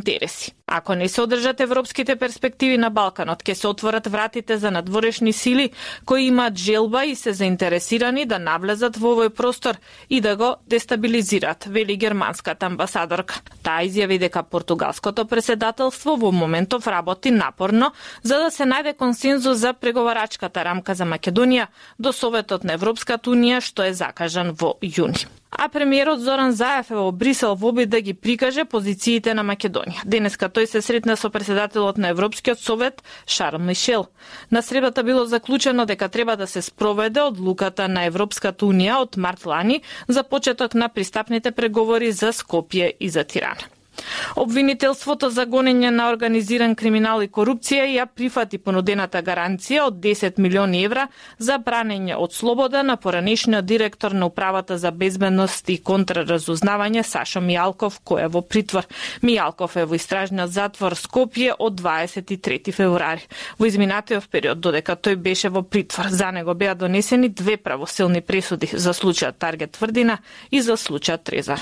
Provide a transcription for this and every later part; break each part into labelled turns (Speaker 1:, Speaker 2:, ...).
Speaker 1: интереси. Ако не се одржат европските перспективи на Балканот, ќе се отворат вратите за надворешни сили кои имаат желба и се заинтересирани да навлезат во овој простор и да го дестабилизираат, вели германската амбасадорка. Таа изјави дека португалското преседателство во моментов работи напорно за да се најде консензус за преговарачката рамка за Македонија до Советот на Европската унија, што е закажан во јуни. А премиерот Зоран Заев е во Брисел во обид да ги прикаже позициите на Македонија. Денеска тој се сретна со председателот на Европскиот совет Шарл Мишел. На средата било заклучено дека треба да се спроведе одлуката на Европската унија од март лани за почеток на пристапните преговори за Скопје и за Тирана. Обвинителството за гонење на организиран криминал и корупција ја прифати понудената гаранција од 10 милиони евра за бранење од слобода на поранешниот директор на Управата за безбедност и контраразузнавање Сашо Мијалков, кој е во притвор. Мијалков е во истражниот затвор Скопје од 23 февруари. Во изминатиот период, додека тој беше во притвор, за него беа донесени 2 правосилни пресуди за случајот Таргет Тврдина и за случајот Трезар.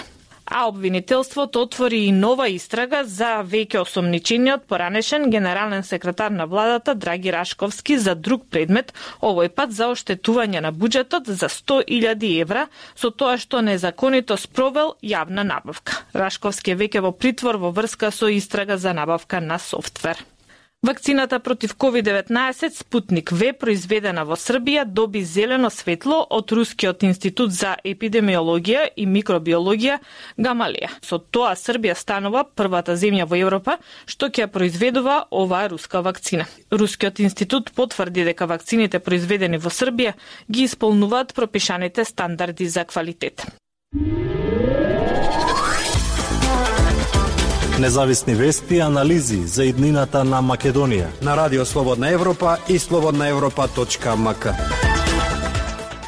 Speaker 1: А обвинителството отвори и нова истрага за веќе осомничениот поранешен генерален секретар на владата Драги Рашковски за друг предмет, овој пат за оштетување на буџетот за 100.000 евра со тоа што незаконито спровел јавна набавка. Рашковски е веќе во притвор во врска со истрага за набавка на софтвер. Вакцината против COVID-19 Спутник В, произведена во Србија, доби зелено светло од Рускиот институт за епидемиологија и микробиологија Гамалеја. Со тоа Србија станува првата земја во Европа што ќе произведува оваа руска вакцина. Рускиот институт потврди дека вакцините произведени во Србија ги исполнуваат пропишаните стандарди за квалитет.
Speaker 2: Независни вести и анализи за иднината на Македонија
Speaker 3: на Радио Слободна Европа и slobodnaevropa.mk.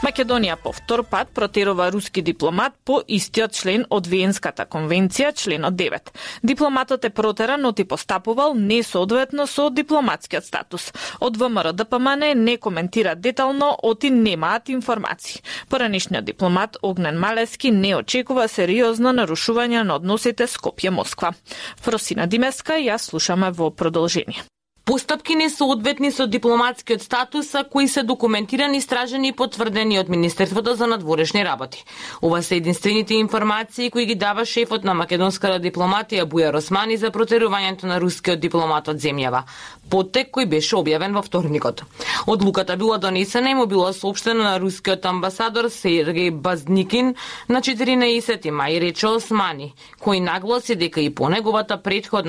Speaker 1: Македонија по втор пат протерува руски дипломат по истиот член од Виенската конвенција, членот 9. Дипломатот е протеран, но ти постапувал несоодветно со дипломатскиот статус. Од ВМРО ДПМН не коментира детално, оти немаат информации. Поранешниот дипломат Огнен Малески не очекува сериозно нарушување на односите Скопје-Москва. Фросина Димеска ја слушаме во продолжение.
Speaker 4: Постапки несоодветни со дипломатскиот статус, кои се документирани, истражени и потврдени од Министерството за надворешни работи. Ова се единствените информации кои ги дава шефот на македонската дипломатија Бујар Османи за протерувањето на рускиот дипломат од земјава. Поттек кој беше објавен во вторникот. Одлуката била донесена и му било соопштено на рускиот амбасадор Сергеј Базникин на 14 мај, рече Османи, кој нагласи дека и по неговата претходна